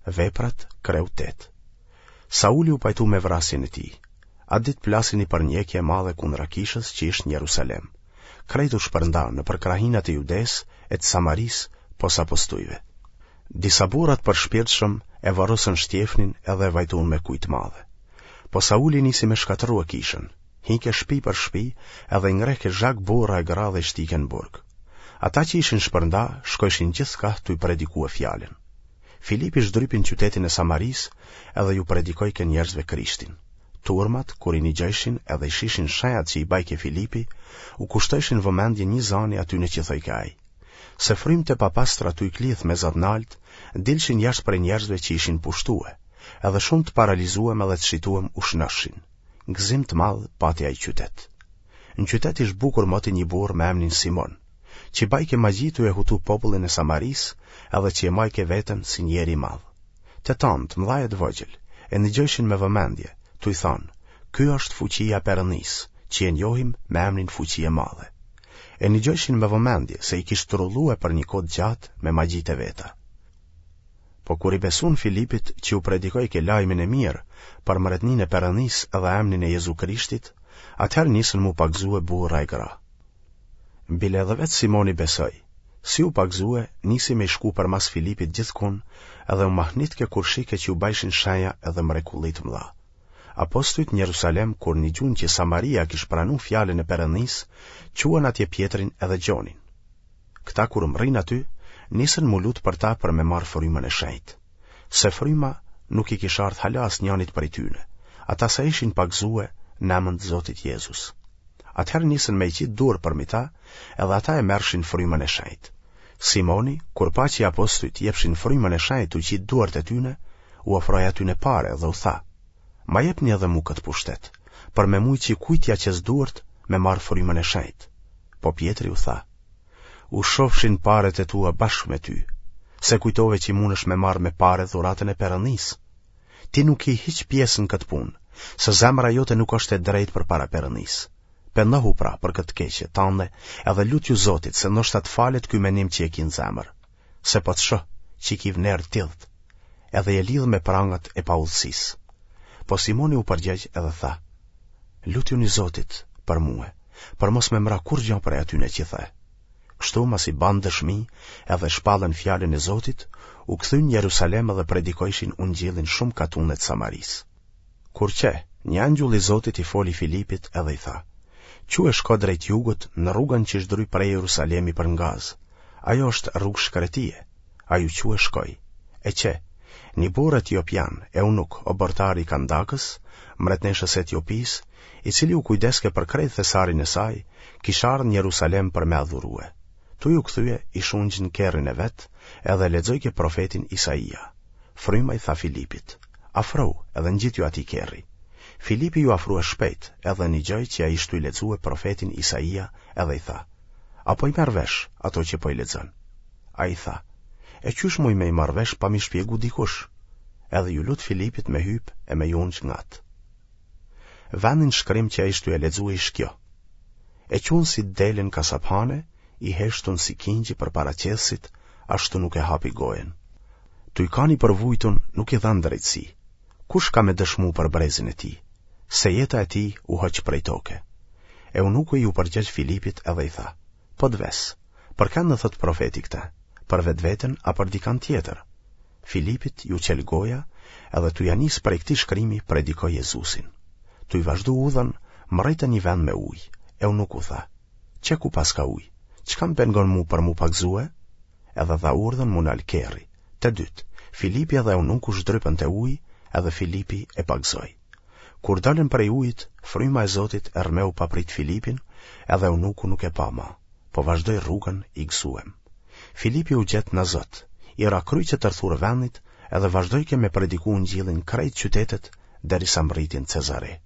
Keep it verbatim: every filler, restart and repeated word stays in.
Veprat, kreu tetë. Sauli u pajtu me vrasjen e tij. Atë ditë plasi një përndjekje e madhe kundra kishës që ishte në Jerusalem. Krejt u shpërndanë nëpër krahinat e Judesë e të Samarisë, pos apostujve. Disa burra të përshpirtshëm e varrosën Shtjefnin edhe e vajtun me kujë të madhe. Po Sauli nisi me shkatërrue kishën, hike shpi për shpi edhe i ngrehke zhag burra e gra dhe i shtike në burg. Ata që ishin shpërnda, shkojshin gjithkah tuj predikue fjalën. Filipi zhdrypi në qytetin e Samarisë edhe ju predikojke njerëzve Krishtin. Turmat, kur i nigjojshin edhe i shishin shenjat që i bajke Filipi, u kushtojshin vëmendje një zani atyne që thojke ai. Se frymt e papastra tuj klithë me za t'naltë, dilshin jashtë prej njerëzve që ishin pushtue, edhe shumë të paralizuem edhe të shituem u shnoshshin. Gëzim të madh pati ai qytet. Në qytet ish bukur moti një burrë me emnin Simon, që bajke magji tuj e hutu popullin e Samarisë edhe që e majke veten si njeri i madh. Të tanë, të mëdhaj e të vogjël, e nigjojshin me vëmendje, tuj thanë, Ky është fuqia e Perëndisë, që e njohim me emnin Fuqi e Madhe. E nigjojshin me vëmendje se i kish trullue për një kohë të gjatë me magjitë e veta. Po kur i besun Filipit që u predikojke lajmin e mirë për mretninë e Perëndisë edhe emnin e Jezu Krishtit, atëherë nisën m'u pagëzue burra e gra. Bile edhe vetë Simoni besoi. Si u pagëzue, nisi me i shku përmas Filipit gjithkun edhe u mahnitke kur shike që u bajshin shenja edhe mrekulli të mëdha. Apostujt në Jerusalem kur nigjun që Samaria kish pranu fjalën e Perëndisë, çuan atje Pjetrin edhe Gjonin. Këta kur mrrinë aty, nisën m'u lut për ta për me marrë frymën e shenjtë. Se fryma nuk i kish ardhë hala asnjanit prej tyne, ata sa ishin pagëzue në emën të Zotit Jezus. Atëherë nisën me i qitë duar përmi ta, edhe ata e merrshin frymën e shenjtë. Simoni, kur pa që apostujt jepshin frymën e shenjtë tuj qitë duart e tyne, u ofroi atyne pare dhe u tha, Ma jepni edhe mu këtë pushtet, për me mujt që kujt t'ia qes duart me marrë frymën e shenjtë. Po Pjetri u tha, U shofshin paret e tua bashkë me ty, se kujtove që mundesh me marrë me pare dhuratën e Perëndisë. Ti nuk ki hiç pjesë në këtë punë, se zemra jote nuk është e drejtë përpara Perëndisë. Pendohu pra për këtë të keqe tande edhe lutju Zotit se ndoshta të falet ky menim që e ki në zemër, se po të shoh që ki vnerë t'idhët, edhe je lidhë me prangat e paudhësisë. Po Simoni u përgjegj edhe tha, Lutjuni Zotit për mue, për mos me m'ra kurrgja prej atyne që the. Kështu masi banë dëshmi edhe shpallën fjalën e Zotit, u kthyn në Jerusalem edhe predikojshin ungjillin shumë katune të Samarisë. Kur qe, një angjull i Zotit i foli Filipit edhe i tha, Çu e shko drejt jugut në rrugën që zhdryp prej Jerusalemi për në Gazë. Ajo është rrugë shkretie. Ai u çu e shkoi. E qe, një burrë etiopian, eunuk, oborrtar i Kandakës, mbretneshës së Etiopisë, i cili u kujdeske për krejt thesarin e saj, kish ardhë në Jerusalem për me adhurue. Tuj u kthye, ish ungj në kerrin e vet, edhe lexojke profetin Isaia. Fryma i tha Filipit, Afrohu edhe ngjitju atij kerri. Filipi iu afrua shpejt, edhe nigjoi që ai ish tuj lexue profetin Isaia edhe i tha, A po i merr vesh ato që po i lexon? Ai tha, E qysh muj me i marrë vesh pa m'i shpjegu dikush? Edhe iu lut Filipit me hypë e me iu ungj ngat. Vendi në shkrim që ai ish tuj e lexue ish kjo, E çun si dele në kasaphane, i heshtun si kingji përpara qethësit, ashtu nuk e hapi gojën. Tuj kanë i përvujtun nuk i dhanë drejtësi. Kush ka me dëshmu për brezin e tij? Se jeta e tij u hoq prej toke. Eunuku iu përgjegj Filipit edhe i tha, Po të ves, për kënd e thotë profeti këtë, për vetveten a për dikand tjetër? Filipit iu çel goja edhe tuj ia nisë prej këtij shkrimi predikoi Jezusin. Tuj vazhdu udhën, mrritën një vend me ujë. Eunuku tha, Qe ku paska ujë, çka më pengon mu për m'u pagëzue? Edhe dha urdhën m'u nal kerri. Të dytë, Filipi edhe eunuku zhdrypën te uji, edhe Filipi e pagëzoi. Kur dolën prej ujit, fryma e Zotit e rrëmeu papritë Filipin, edhe eunuku nuk e pa ma, po vazhdoi rrugën i gëzuem. Filipi u gjet në Azot, i ra kryq e tërthurë vendit edhe vazhdojke me prediku ungjillin krejt qytetet derisa mbrriti në Cezare.